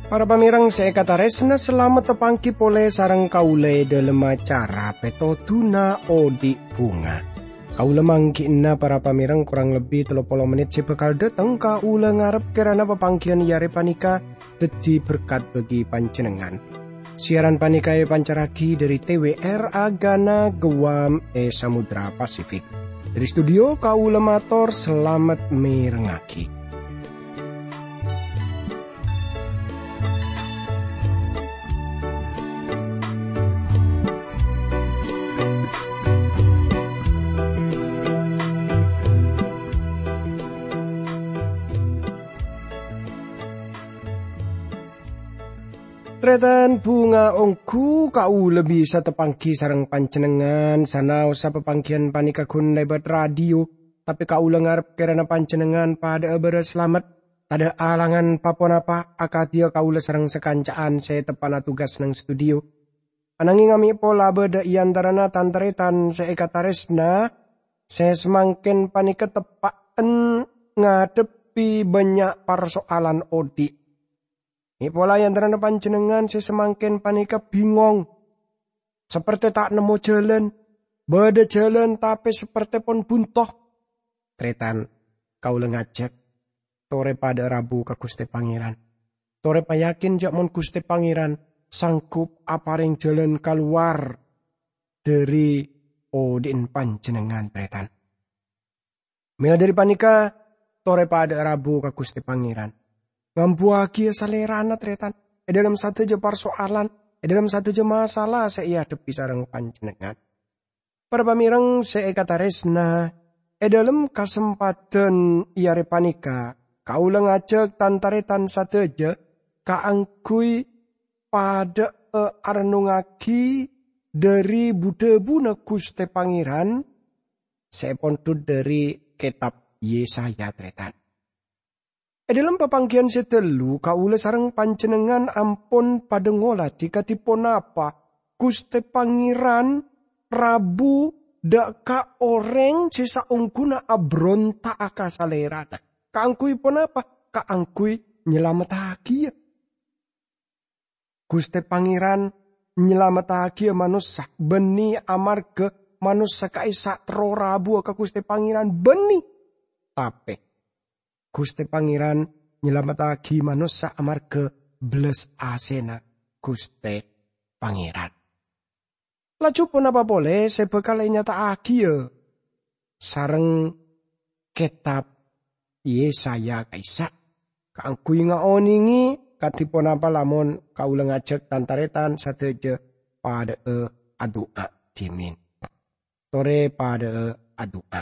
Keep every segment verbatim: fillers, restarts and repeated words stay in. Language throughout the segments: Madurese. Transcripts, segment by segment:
Para pamèrèng sè èkatarèsna, salamet tapangghi polè sareng kaulâ è dhâlem acara Pètodhuna Odi' Bhunga. Kaulâ mangghi'na para pamèrèng korang lebbi tello polo mennit sè bhâkal dhâteng. Kaulâ ngarep kèrana papangghiyân è arè panèka dhâddhi berkat bagi panjhennengngan. Siaran panèka èpancarraghi dhâri T W R Agana Guam è Samudra Pasifik. Dhâri studio, kaulâ mator salamet mèrengngaghi. Tarètan bhunga, ongghu kaulâ bisa tapangghi sareng panjhennengngan, sanaossa papangghiyân panèka ghun lèbât radio, tapè kaulâ ngarep kèrana panjhennengngan padhâ'â bârâs salamet, tadhâ' alangan pa-ponapa akadhiyâ kaulâ sareng sakanca'an sè teppa'na tugas neng studio. Ananghing amè' pola bâdâ è antarana tan-tarètan sè èkatarèsna, sè samangkèn panèka teppa'en ngadhebbhi bânnya' parsoalan odi'. Mè' pola è antarana panjhennengngan sè samangkèn panèka bingong, saperte ta' nemmo jhâlân, bâdâ jhâlân tapè saperte pon bunto. Tarètan, kaulâ ngajhâk, torè padhâ'â rabu ka Ghustè Pangèran. Torè payakin jhâ' mon Ghustè Pangèran sanggup aparèng jhâlân kalowar dhâri odi'en panjhennengngan, tarètan. Mèla dhâri panèka, torè padhâ'â rabu ka Ghustè Pangèran. Ngambuwâghiyâ salèrana, tarètan, è dhâlem sadhâjâ parsoalan, è dhâlem sadhâjâ masalah sè èadhebbhi sareng panjhennengngan. Para pamèrèng sè èkatarèsna, è dhâlem kasempadhân è arè panèka, kaulâ ngajhâk tan-tarètan sadhâjâ kaangghuy padhâ'â arennungngaghi dhâri bu-dhâbuna Ghustè Pangèran sè èpondhut dhâri Kètab Yesaya, tarètan. È dhâlem papangghiyân sè ghâllu, kaulâ sareng panjhennengngan ampon padhâ ngolatè kadhi ponapa Ghustè Pangèran rabu dâ' ka orèng sè saongghuna abronta'a ka Salèrana. Kaangghuy ponapa? Kaangghuy nyalamettaghiyâ. Ghustè Pangèran nyalamettaghiyâ manossa, bânnè amarghâ manossa ka'issa' terro rabuwâ ka Ghustè Pangèran, bânnè. Tapè, Ghustè Pangèran nyalamettaghi manossa amarghâ bellas asèna Ghustè Pangèran. Laju ponapa polè sè bhâkal ènyata'aghiyâ sareng kètab Yesaya ka'issa'? Kaangghuy ngaonèngè kadhi ponapa lamon kaulâ ngajhâk tan-tarètan sadhâjâ padhâ'â adu'a dhimèn. Torè padhâ'â adu'a.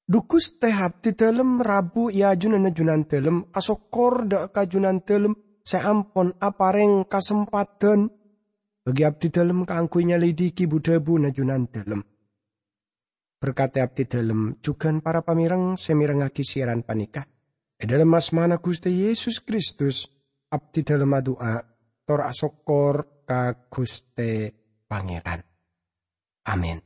Dhu Ghustè, abdhidhâlem rabu è ajunanna Junandhâlem, asokkor dâ' ka Junandhâlem sè ampon aparèng kasempadhân bagi abdhidhâlem kaangghuy nyalidiki bu-dhâbuna Junandhâlem. Berkadhi abdhidhâlem jhughân para pamèrèng sè mèrengngaghi siyaran panèka. È dhâlem asmana Ghustè Yesus Kristus, abdhidhâlem adu'a, tor asokkor ka Ghustè Pangèran. Amin.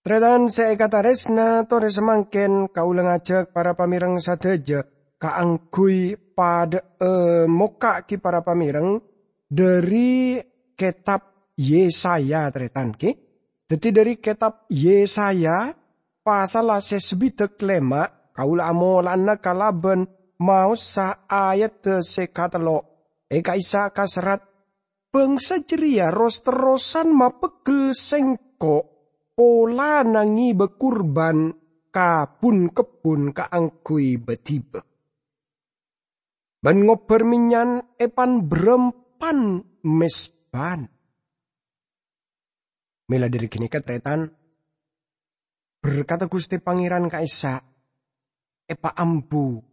Tarètan sè èkatarèsna, torè samangkèn kaulâ ngajhâk para pamèrèng sadhâjâ kaangghuy padhâ'â mokka' ghi para pamèrèng dhâri kètab Yesaya, tarètan, ghi. Dhâddhi, dhâri kètab Yesaya, pasalla sè sabidhâk lèma', kaulâ amola'ana kalabân maossa ayadda sè katello'. È ka'issa' kaserrat, "Bhângsa jârèya ros-terrosan mapeggel Sèngko' polana ngèbâ kurban ka bun-kebbhun kaangghuy bâdhibâ, bân ngobbhâr mennyan è pan-bârâmpan mezbana." Mèla dhâri ghânèka, tarètan, berkadhâ Ghustè Pangèran ka'issa' èpaambu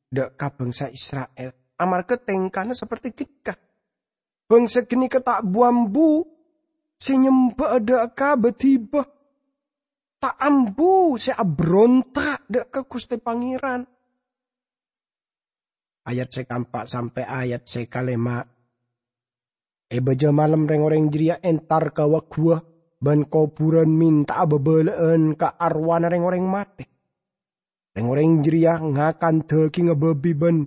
dâ' ka bhângsa Isra'il, amarghâ tèngkana saperte ghânèka. Bhângsa ghânèka ta' bu-ambu sè nyembhâ'â dâ' ka bâdhibâ, ta' ambu sè abronta' dâ' ka Ghustè Pangèran. ayat sè kaempa' sampè' ayat sè kalèma'. È bâjâ malem rèng-orèng jârèya entar ka waghuwâ bân kobhurân mènta'a bhâbhâlâ'ân ka arowana rèng-orèng matè. Rèng-orèng jârèya ngakan dhâgingnga bâbi bân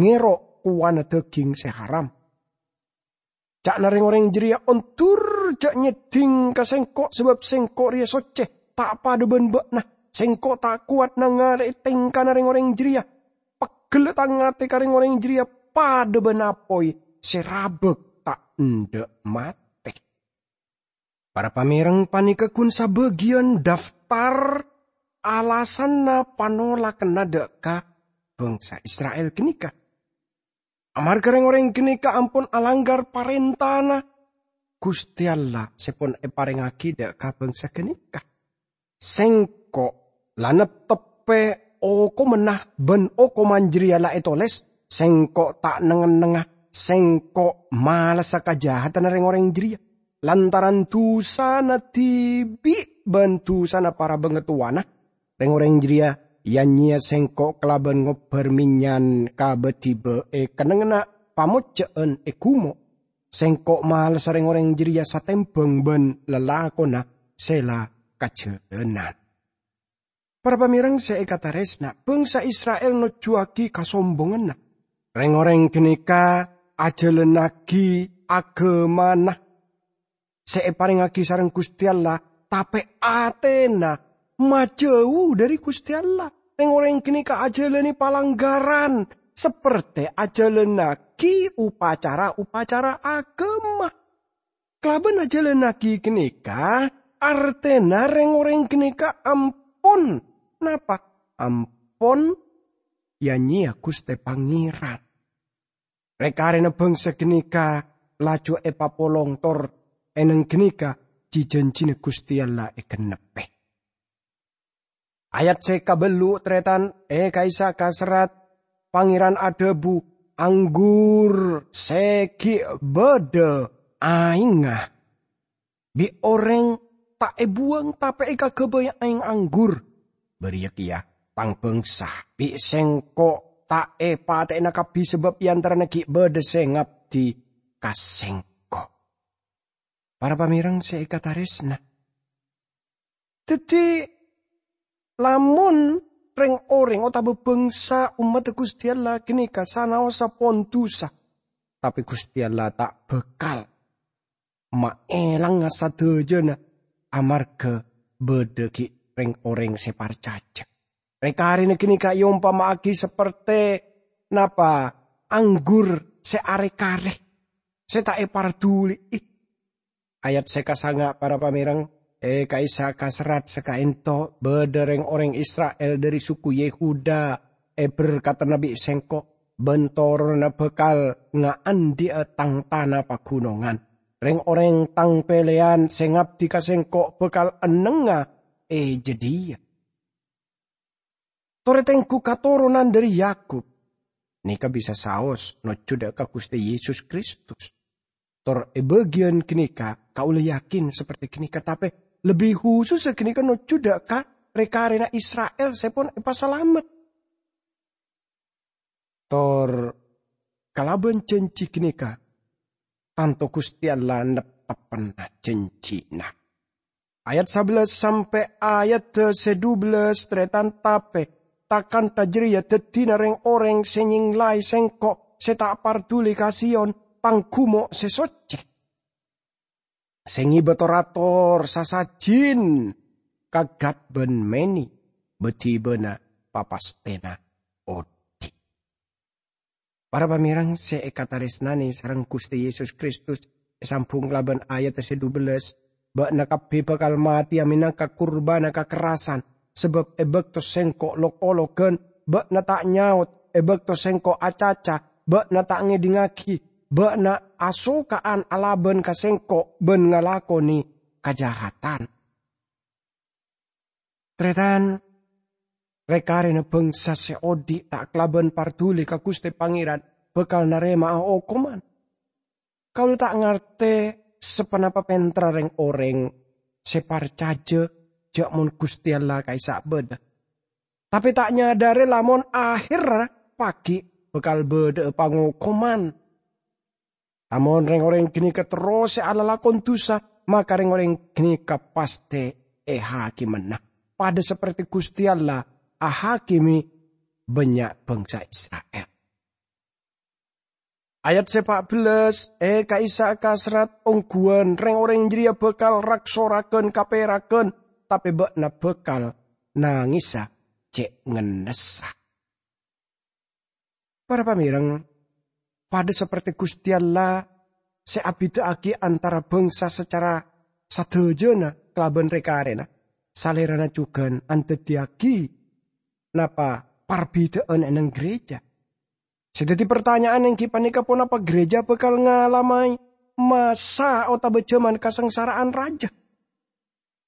ngèro' kowana dhâging sè haram. Ca'na rèng-orèng jârèya, "Ondur, jhâ' nyèddhing ka sèngko', sabâb sèngko' rèya soccè, ta' padâ bân bâ'na. Sèngko' ta' kowat nangalè'è tèngkana rèng-orèng jârèya. Peggella' tang atè ka rèng-orèng jârèya padâ bân apoy sè rabâk ta' endâ' matè." Para pamèreng, panèka ghun sabâgiyân daftar alasanna panolakanna dâ' ka bangsa Isra'il ghânèka. Amarghâ rèng-orèng ghânèka ampon alangghâr parèntana Ghustè Allah sè pon èparèngaghi dâ' ka bangsa ghânèka. Sèngko' la neptebbhi okomanna bân okoman jârèya la ètolès, Sèngko' ta' neng-ennengnga, Sèngko' malessa kajahatanna rèng-orèng jârèya. Lantaran dusana dhibi' bân dusana para bangatowana, rèng-orèng jârèya ya-nyèya Sèngko' kalabân ngobbhâr mennyan ka bâdhibâ è kennengnganna pamojjhâ'ân è ghumo'. Sèngko' malessa rèng-orèng jârèya satèmbhâng bân lalakonna sè la kajhâlânan. Para pamèreng sè èkatarèsna, bangsa Isra'il nojjhuwâghi kasombonganna. Rèng-orèng ghânèka ajhâlânnaghi aghâmana sè èparèngaghi sareng Ghustè Allah, tapè atèna majâu dhâri Ghustè Allah. Rèng-orèng ghânèka ajhâlâne palanggaran, sapertè ajhâlânnaghi opacara-opacara aghâma. Kalabân ajhâlânnaghi ghânèka, artèna rèng-orèng ghânèka ampon, napa? Ampon ya-nyèya Ghustè Pangèran. Rè-karèna bangsa ghânèka laju èpapolong tor è neng ghânèka ji-janjina Ghustè Allah ègennebbhi. Ayat sè kabellu', tarètan, è ka'issa' kaserrat, Pangèran adhâbu, "Anggur sè ghi' bâdâ aèngnga bi' orèng ta' èbuwâng, tapè èkaghâbây aèng anggur. Bâriyâ kèya, tang bangsa, bi' Sèngko' ta' èpatè'ana kabbhi sabâb è antarana ghi' bâdâ sè ngabdi ka Sèngko'." Para pamèreng sè èkatarèsna, dhâddhi, lamon rèng-orèng otabâ bangsa ommaddhâ Ghustè Allah ghânèka sanaossa pon dusa, tapè Ghustè Allah ta' bhâkal maèlanga sadhâjâna amarghâ bâdâ ghi' rèng-orèng sè parcajâ. Rè-karèna ghânèka èompama'aghi sapertè, napa, anggur sè arè-karè, sè ta' èparduli'i. Ayat sè kasanga', para pamèreng, è ka'issa' kaserrat sè ka'ento, bâdâ rèng-orèng Isra'il dhâri suku Yehuda èberkadhâna bi' Sèngko', bân toronanna bhâkal ngaandhi'a tang tana paghunongan. Rèng-orèng tang pèlèyan sè ngabdi ka Sèngko' bhâkal ennengnga è jâdiyâ. Torè tengghu katoronan dhâri Yakub, nèka bisa saos nojjhu dâ' ka Ghustè Yesus Kristus. Tor è bâgiyân ghânèka kaulâ yakin sapertè ghânèka, tapè lebbi husussa ghânèka nojjhu dâ' ka rè-karèna Isra'il sè pon èpasalamet. Tor kalabân janji ghânèka, tanto Ghustè Allah neptebbhâna janjina. Ayat sabellâs sampè' ayadda sè dubellâs, tarètan, tapè, ta-kantha jârèya dhâddhina rèng-orèng sè nyènglaè Sèngko' sè ta' parduli ka Sion, tang ghumo' sè soccè, sè ngèbâ tor-ator sasajin ka Gad bân Meni, bâdhibâna papastèna odi'. Para pamèreng sè èkatarèsnanè sareng Ghustè Yesus Kristus, èsambhung kalabân ayadda sè dubellâs, "Bâ'na kabbhi bhâkal matèya mènangka kurbânna kakerrasan, sabâb è bâkto Sèngko' lok-ologhân, bâ'na ta' nyaot, è bâkto Sèngko' acaca, bâ'na ta' ngèdingngaghi, bâ'na asoka'an alabân ka Sèngko' bân ngalakonè kajahatan." Tarètan, rè-karèna bhângsa sè odi' ta' kalabân parduli ka Ghustè Pangèran bhâkal narèma'a okoman. Kaulâ ta' ngartè saponapa pènterra rèng-orèng sè parcajâ jâ' mon Ghustè Allah ka'issa' bâdâ. Tapè ta' nyadârè lamon ahèrra paghi' bhâkal bâdâ'â pangokoman. Lamon rèng-orèng ghânèka terros sè alalakon dhusa, maka rèng-orèng ghânèka pastè èhakimana, padâ saperte Ghustè Allah ahakime bânnya' bangsa Isra'il. Ayat sè pa' bellas, è ka'issa' kasrat ongghuwân rèng-orèng jârèya bhâkal rak-soraghân kapèraghân, tapè bâ'na bhâkal nangèsa cè' ngennessa. Para pamèreng, padâ saperte Ghustè Allah sè abidhâ'aghi antara bangsa sacara sadhâjâna kalabân rè-karèna, Salèrana jhughân andhâddhiyâghi napa parbidhâ'ân è neng gereja. Sè dhâddhi partanya'an èngghi panèka, ponapa gereja bhâkal ngalamè masa otabâ jhâman kasangsara'an rajâ?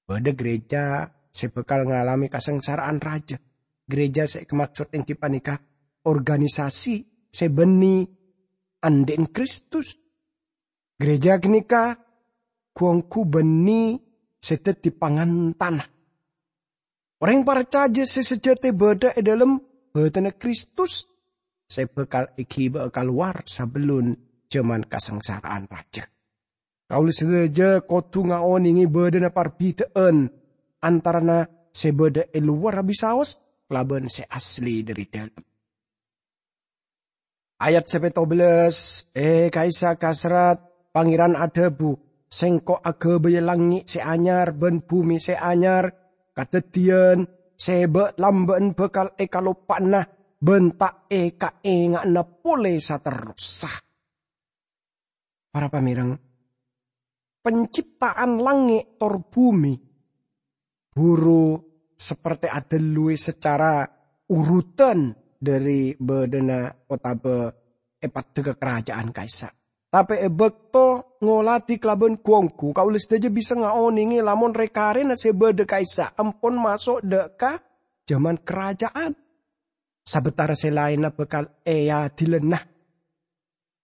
Bâdâ gereja sè bhâkal ngalamè kasangsara'an rajâ. Gereja sè èkamaksod èngghi panèka organisasi sè bânnè andi'na Kristus. Gereja ghânèka ghu-ongghu bânnè sè dhâddhi pangantana. Orèng parcajâ sè sajâtè bâdâ è dhâlem bâdânna Kristus sè bhâkal èghibâ'â kalowar sabellun jhâman kasangsara'an rajâ. Kaulâ sadhâjâ kodhu ngaonèngè bâdâna parbidhâ'ân antarana sè bâdâ è lowarra bisaos kalabân sè asli dhâri dhâlem. Ayat sè pètto bellas, è ka'issa' kasrat, Pangèran adhâbu, "Sèngko' aghâbâyâ langngè' sè anyar bân bhumè sè anyar, kadhâddhiyân sè bâ'-lambâ'ân bhâkal èkaloppa'ana bân ta' èkaènga'ana polè saterrossa." Para pamèreng, penciptaan langngè' tor bhumè buru saperte adhâlluwè sacara urutan dhâri bâdâna otabâ èpaddhâ ka karaja'an ka'issa'. Tapè è bâkto ngoladhi kalabân ghu-ongghu, kaulâ sadhâjâ bisa ngaonèngè lamon rè-karèna sè bâdâ ka'issa' ampon maso' dâ' ka jhâman karaja'an. Sabâtara sè laènna bhâkal èadilana,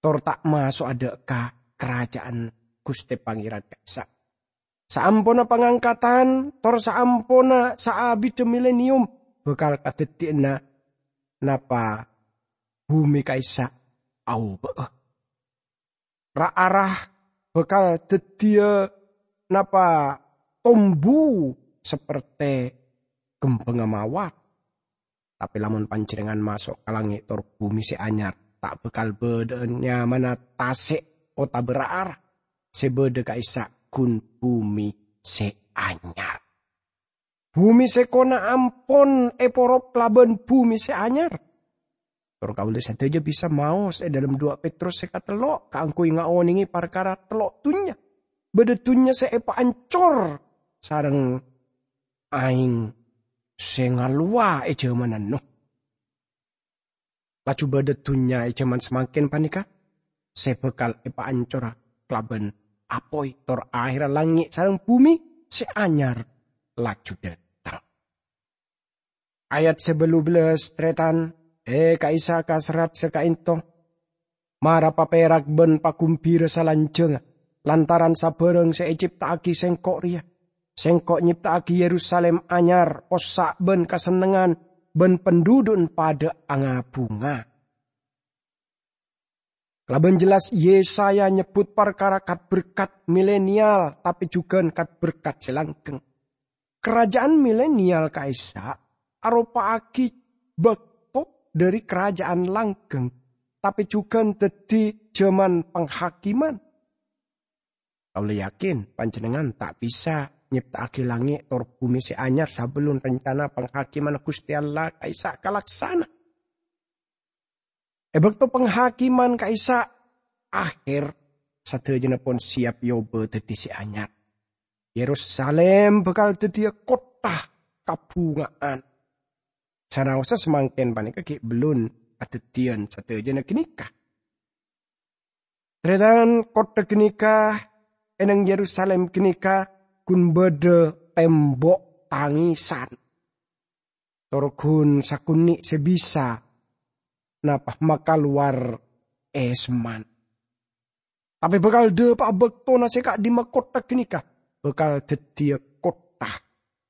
tor ta' maso'a dâ' ka karaja'an Ghustè Pangèran ka'issa'. Saamponna pangangkatan, tor saamponna saabiddhâ mileniyum, bhâkal kadhâddhiyâna napa bhumè ka'issa' aobâ'â. Ra-ara bhâkal dhâddhiyâ napa tombu saperte kembhângnga mawar. Tapè lamon panjhennengngan maso' ka langngè' tor bhumè sè anyar, ta' bhâkal bâdâ'â nyamana tasè' otabâ ra-ara. Sè bâdâ ka'issa' ghun bhumè sè anyar. Bhumè sèkona ampon èporop kalabân bhumè sè anyar. Tor kaulâ sadhâjâ bisa maos è dhâlem duwâ' Petrus sè katello' kaangghuy ngaonèngè parkara tello' dhunnya. Bâdâ dhunnya sè èpaancor sareng aèng sè ngalowa è jhâmanna Nuh. Laju bâdâ dhunnya è jhâman samangkèn panèka sè bhâkal èpaancora kalabân apoy, tor ahèrra langngè' sareng bhumè sè anyar laju dhâteng. Ayat sè bâllu bellas, tarètan, è ka'issa' kasrat sè ka'ènto, mara paperak bân pagumbira salanjhângnga lantaran sabârâng sè ècipta'aghi Sèngko' rèya. Sèngko' nyipta'aghi Yerusalim anyar, possa' bân kasennengngan, bân pandhudhu'na padâ anga-bhunga. Kalabân jelas, Yesaya nyebbhut parkara kat-berkat milenial, tapè jhughân kat-berkat sè langgeng. Karaja'an milenial ka'issa' aropa'aghi bâkto dhâri karaja'an langgeng, tapè jhughân dhâddhi jhâman panghakiman. Kaulâ yakin panjhennengngan ta' bisa nyepta'aghi langngè' tor bhumè sè anyar sabellunna rencana panghakimanna Ghustè Allah ka'issa' kalaksana. È bâkto panghakiman ka'issa' ahèr, sadhâjâna pon sèyap èobâ dhâddhi sè anyar. Yerusalim bhâkal dhâddhiyâ kottha kabhunga'an. Sanaossa samangkèn panèka ghi' bellun adhâddhiyân sadhâjâna ghânèka. Tarètan, kottha ghânèka, è neng Yerusalim ghânèka ghun bâdâ tèmbok tangèsan. Tor ghun sakonè' sè bisa napa makalowar èsemman. Tapè bhâkal dhâpa'a bâktona sè ka'dimma kottha ghânèka bhâkal dhâddhiyâ kottha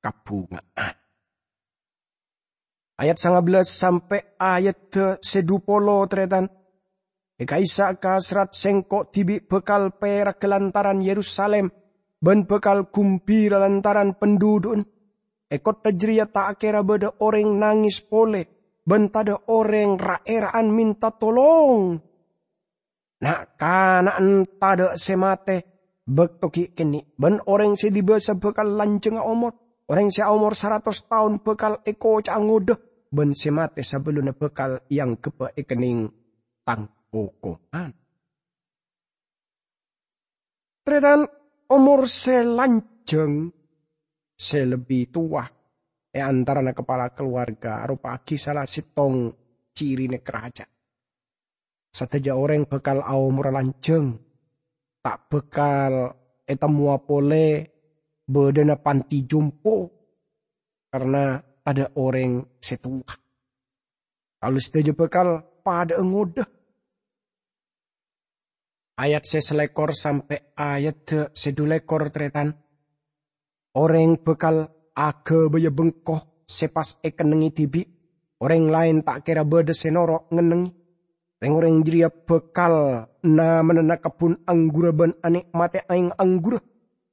kabhunga'an. Ayat sanga bellas sampe' ayadda se dhu polo, taretan. E ka'issa' kaserrat Sengko' dibi' bakal peragga lantaran Yerusalim, ban bakal gumbira lantaran pandhudhu'na. E kottha jareya ta' kera badha oreng nanges pole, ban tadha' oreng ra'-era'an menta tolong. Na'-kana'na tadha' se mate bakto gi' kenne', ban oreng se dibasa bakal lanjangnga omor. Oreng se aomor saratos taon bakal ekoca'a ngodha, ban se mate sabellunna bakal eangghebba ekenneng tang okoman. Taretan, omor se lanjang, se lebbi towa e antarana kapala kalowarga, aropa'agi sala settong cirina karaja. Sadaja oreng bakal aomorra lanjang, ta' bakal etemmowa pole badhana panti jompo, karna tadha' oreng se towa. Kaula sadaja bakal padha'a ngodha. Ayat se salekor sampe' ayadda se dhu lekor, taretan. Oreng bakal aghâbâyâ bengko se pas ekennengnge dibi'. Oreng laen ta' kera badha se noro' ngennengnge. Reng-oreng jareya bakal namanana kebbun angghurra ban ane'mate aeng angghurra.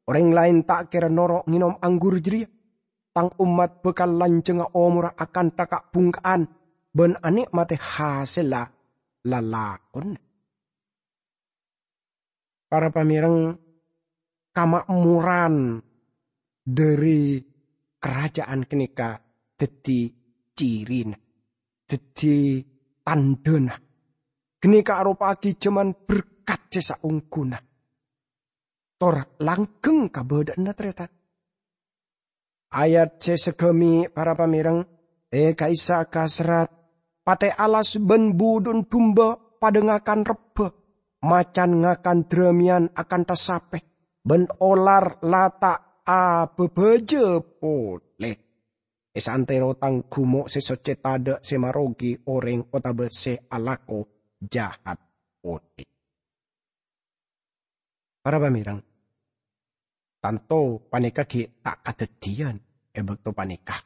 Oreng laen ta' kera noro' ngenom anggur jareya. Tang ommat bakal lanjangnga omorra akantha ka'-bhungka'an ban ane'mate hasella lalakonna. Para pamereng, kama'moran dhari karaja'an ganeka daddi cirina, daddi tandhana. Ganeka aropa'agi jaman berkat se saongguna, tor langgeng kabadha'anna, taretan. Ayat se sagami, para pamereng, e ka'issa' kaserrat, pate alas ban budhu'na dumba padha ngakan rebba, macan ngakan dramiyan akantha sape, ban olar la ta' ababâjâ pole. E saantero tang gumo' se socce tadha' se marogi oreng otaba se alako jahat pole. Para pamereng, tanto paneka gi' ta' kadaddiyan e bakto paneka.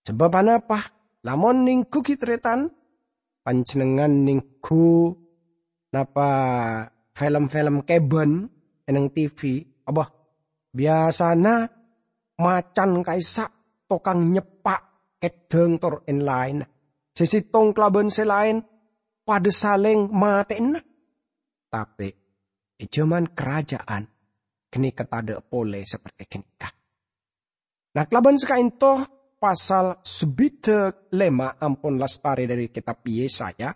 Sabab anapa? Lamon nenggu gi' taretan, panjennengngan nenggu napa film-film keban e neng T V, apa, biyasana macan ka'issa' tokang nyeppa' keddhang tor en-laenna. Se settong kalaban se laen padha saleng mateyana. Tape, e jaman karaja'an ganeka tadha' pole saperte ganeka. Na, kalaban saka'ento, pasal sabidhak lema ampon lastare dhari Ketab Yesaya.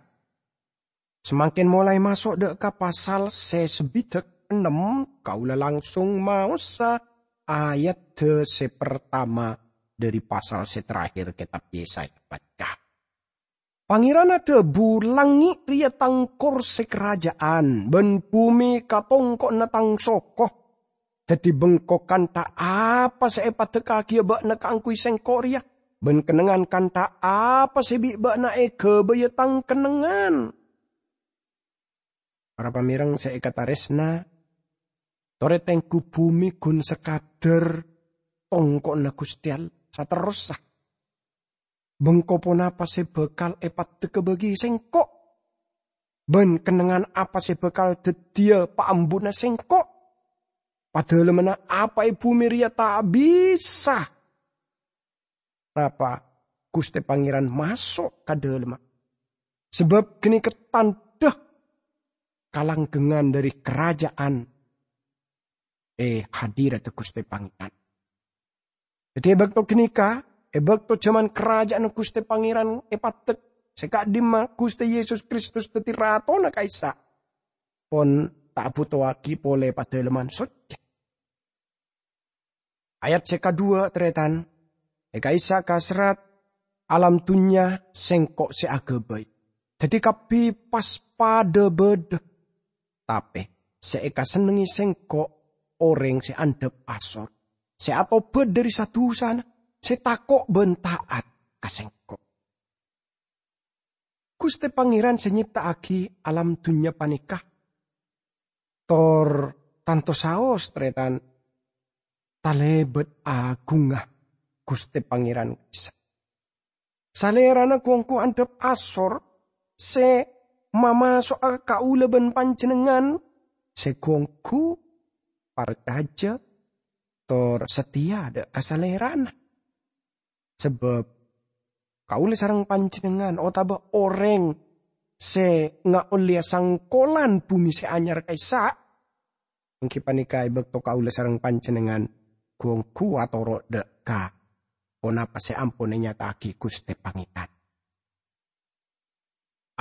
Samangken molae maso' dha' ka pasal se sabidhak ennem, kaula langsung maosa ayadda se partama dhari pasal se terakhir Ketab Yesaya paneka. Pangeran adhabu, "Langnge' reya Tang korse karaja'an, ban bume katongko'na Tang soko. Daddi bengko kantha apa se epaddekkagiya ba'na kaangguy Sengko' reya, ban kennengngan kantha apa se bi' ba'na egabaya Tang kennengngan?" Para pamereng se ekataresna, tore tenggu bume gun sakadar tongko'na Guste Allah saterrossa. Bengko ponapa se bakal epaddekka bagi Sengko'? Ban kennengngan apa se bakal daddiya paambuna Sengko'? Padalemmanna apa e bume reya ta' bisa napa Guste Pangeran maso' ka dalemma. Sabab ganeka tandha kalanggengngan dhari karaja'an e hadiradda Guste Pangeran. Daddi, e bakto ganeka, e bakto jaman karaja'anna Guste Pangeran epaddek, se ka'dimma Guste Yesus Kristus daddi Ratona ka'issa', pon ta' abutowagi pole padalemman socce. Ayat se kadhuwa, taretan, e ka'issa' kaserrat, "Alam dunnya Sengko' se agabay. Daddi kabbi pas padha badha. Tape se ekasennengnge Sengko' oreng se andhap asor, se atobat dhari sa-dusana, se tako' ban ta'at ka Sengko'." Guste Pangeran se nyepta'agi alam dunnya paneka, tor tanto saos, taretan, talebat agungnga Guste Pangeran ka'issa'. Salèrana ghu-ongghu andhâp asor sè mamaso'a kaulâ bân panjhennengngan sè ghu-ongghu parcajâ tor satèya dâ' ka Salèrana. Sabâb kaulâ sareng panjhennengngan otabâ orèng sè ngaollèya sangkolan bhumè sè anyar ka'issa', èngghi panèka è bâkto kaulâ sareng panjhennengngan ghu-ongghu atoro' dâ' ka ponapa sè ampon ènyata'aghi Ghustè Pangèran.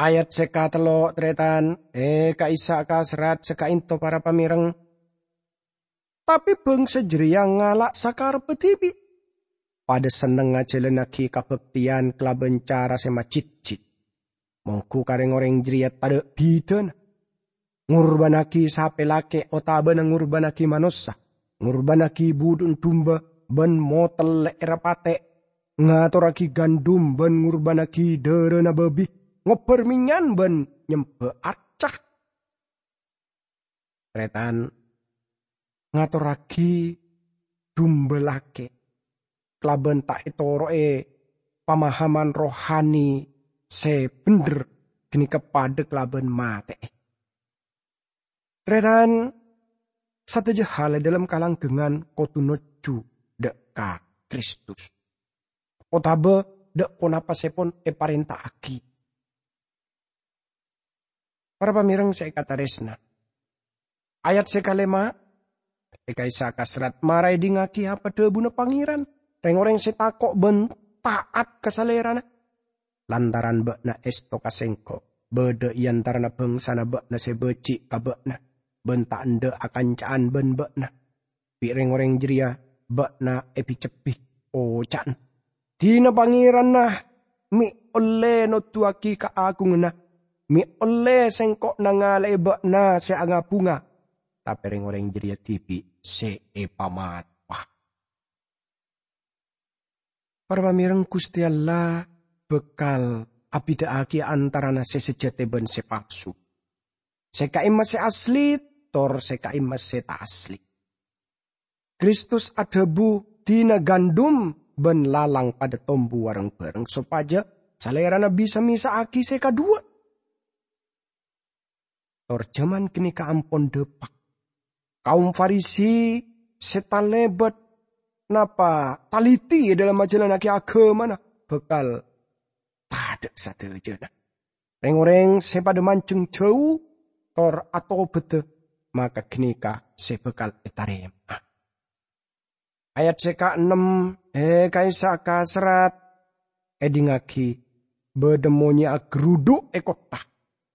Ayat sè katello', tarètan, è ka'issa' ka serrat sè ka'ento para pamèreng. Tapè bângsa jârèya ngala' sakarebbhâ dhibi'. Padâ senneng ajhâlannaghi kabhâktèyan kalabân cara sè majitjit. Mongghu ka rèng-orèng jârèya tadâ' bhidhâna. Ngorbhânnaghi sapè lakè' otabâna ngorbhânnaghi manossa, ngorbhânnaghi budhu'na dumba bân motellè'èra patè', ngatorraghi gandum bân ngorbhânnaghi dârâna bâbi, ngobbhâr mènyan bân nyembhâ arca. Tarètan, ngatorraghi dumba lakè' kalabân ta' ètoro'è pamahaman rohani sè bhendher, ghânèka padâ kalabân matè'è. Tarètan, sadhâjâ hal è dhâlem kalanggengngan kodhu nojjhu dâ' ka Kristus, otabâ dâ' ponapa sè pon èparènta'aghi. Para pamèreng sè èkatarèsna, ayat sè kalèma', è ka'issa' ka serrat mara èdingngaghi apa dhâbuna Pangèran, rèng-orèng sè tako' bân ta'at ka Salèrana. Lantaran bâ'na èsto ka Sèngko', bâdâ è antarana bângsana bâ'na sè bâji' ka bâ'na, bân ta' endâ' akanca'an bân bâ'na. Bi' rèng-orèng jârèya bâ'na èbi-cebbhi, oca'na, "Dina Pangèranna mè' ollè noduwâghi kaagunganna, mè' ollè sèngko' nangala'è bâ'na sè nga-bhunga." Tapè rèng-orèng jârèya dhibi' sè èpamatowa. Para pamèreng, Ghustè Allah bhâkal abhidhâ'âghi antarana sè sajhâtè bân sè palsu, sè ka'imma sè asli, tor sè ka'imma sè ta' asli. Kristus adhâbu, "Dina gandum bân lalang padâ tombu reng-bhâreng, sopajâ Salèrana bisa mèsa'aghi sè kadhuwâ." Tor jhâman ghânèka ampon dhâpa'. Kaum Farisi sè talèbât napa taliti è dhâlem ajhâlannaghi aghâmana bhâkal tadâ' sadhâjâna. Rèng-orèng sè padâ manjheng jhâu tor atobhâdhâ, maka ghânèka sè bhâkal ètarèma'a. Ayat sè kaennem, è ka'issa' ka serrat, èdingngaghi, bâdâ monyè'na ghrudhu' è kottha,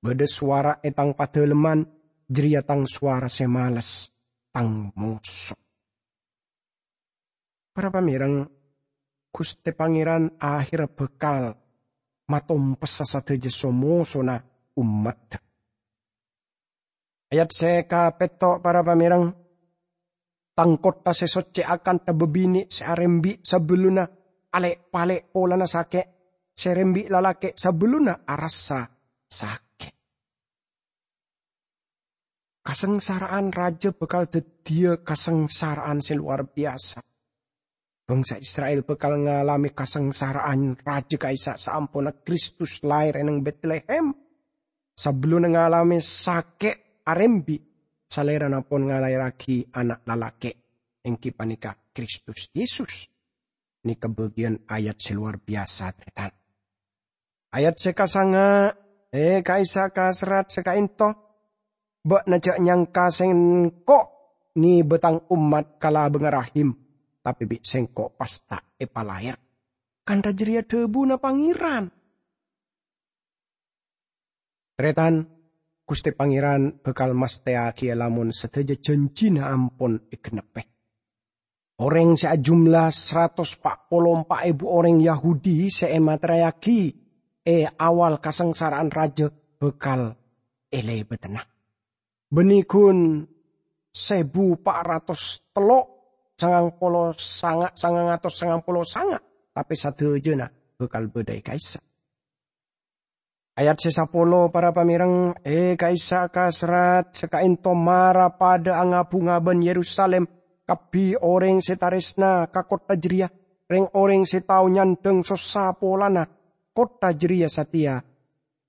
bâdâ sowara è tang padâlemman, jârèya tang sowara sè males, tang moso. Para pamèreng, Ghustè Pangèran ahèrra bhâkal matompessa sadhâjâ so-mosona ommaddhâ. Ayat sè kapètto', para pamèreng, "Tang kottha sè soccè akantha bâbinè' sè arembi' sabellunna alè'-palè' polana sakè', sè rembi' lalakè' sabellunna arassa sakè'." Kasangsara'an rajâ bhâkal dhâddhiyâ kasangsara'an sè lowar biyasa. Bangsa Isra'il bhâkal ngalamè kasangsara'an rajâ ka'issa' saamponna Kristus laèr è neng Betlehem. Sabellunna ngalamè sakè' arembi', Salèrana pon ngalaèrraghi ana' lalakè', èngghi panèka Kristus Yesus. Nèka bâgiyân ayat sè lowar biyasa, tarètan. Ayat sè kasanga', è ka'issa' ka serrat sè kaènto, "Bâ'na jhâ' nyangka Sèngko' ngibâ Tang ommat ka labângnga rahim, tapè bi' Sèngko' pas ta' èpalaèr." Kantha jârèya dhâbuna Pangèran. Tarètan, Ghustè Pangèran bhâkal mastèyaghi lamon sadhâjâ jhânjhina ampon ègennebbhi. Orèng sè ajumlah saratos pa' polo empa' èbu orèng Yahudi sè èmatèrèyaghi è awal kasangsara'an rajâ bhâkal èlèbâdhâna. Bânnè ghun sèbu pa' ratos tello' sangang polo sanga', sangang atos sangang polo sanga', tapè sadhâjâna bhâkal bâdâ è ka'issa'. Ayat sè sapolo, para pamèreng, è ka'issa' ka serrat sè kaènto mara padâ angabhunga bân Yerusalim, kabbhi orèng sè tarèsna ka kottha jârèya, rèng-orèng sè tao nyandhâng sossa polana Pottra jareya satèya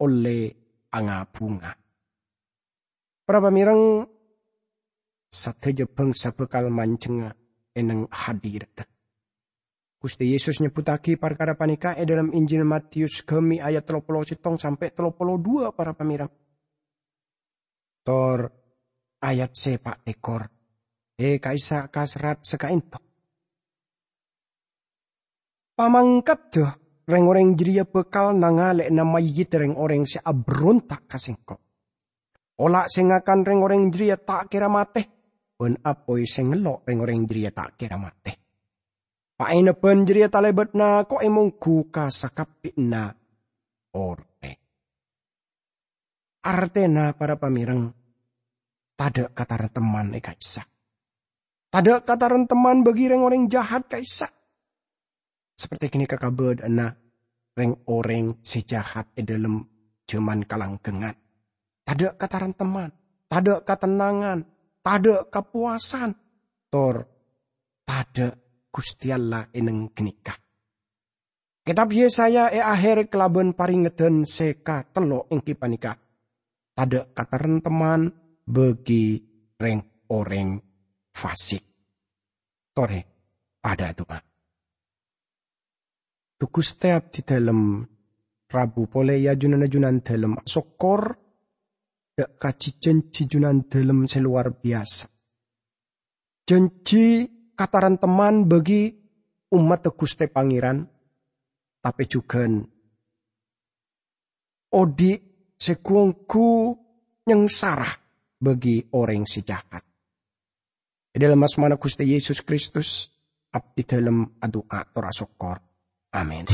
ollè anga-bhunga. Para pamèreng, sadhâjâ bhângsa bhâkal manjhengnga è neng hadiradda. Ghustè Yesus nyebbhuttaghi parkara panèka è dhâlem Injil Matius ghâmi ayat tello polo sèttong sampè' tello polo duwâ', para pamèreng. Tor ayat sè pa' tèkor, è ka'issa' kaserrat sakaènto. Pamangkaddhâ rèng-orèng jârèya bhâkal nangalè'ana mayyidda rèng-orèng sè aberronta' ka Sèngko'. Ola' sè ngakan rèng-orèng jârèya ta' kèra matè, bân apoy sè ngello' rèng-orèng jârèya ta' kèra matè. Paènebhân jârèya talèbât nako'è mongghu ka sakabbhiyanna orèng. Artèna, para pamèreng, tadâ' kataremtemman è ka'issa'. Tadâ' kataremtemman bagi rèng-orèng jahat ka'issa'. Saperti ghânèka kabâdâ'ânna rèng-orèng sè jahat è dhâlem jhâman kalangghângan. Tadâ' kataremtemman, tadâ' katennangan, tadâ' kapowasan, tor tadâ' Ghustè Allah è neng ghânèka. Kètab Yesaya è aher kalabân parèngeddhân sè katello' èngghi panèka, "Tadâ' kataremtemman bagi rèng-orèng fasik." Torè, padâ adu'a. Dhu Ghustè, abdhi dhâlem rabu polè, yâ, Junanna Junandhâlem asokkor dâ' kajhi jhânjhi Junandhâlem sè lowar biyasa. Jhânjhi kataremtemman bagi ommaddhâ Ghustè Pangèran, tapè jhughân odi' sè ghu-ongghu nyangsara bagi orèng sè jahat. È dhâlem asmana Ghustè Yesus Kristus, abdhi dhâlem adu'a tor asokkor. Amin.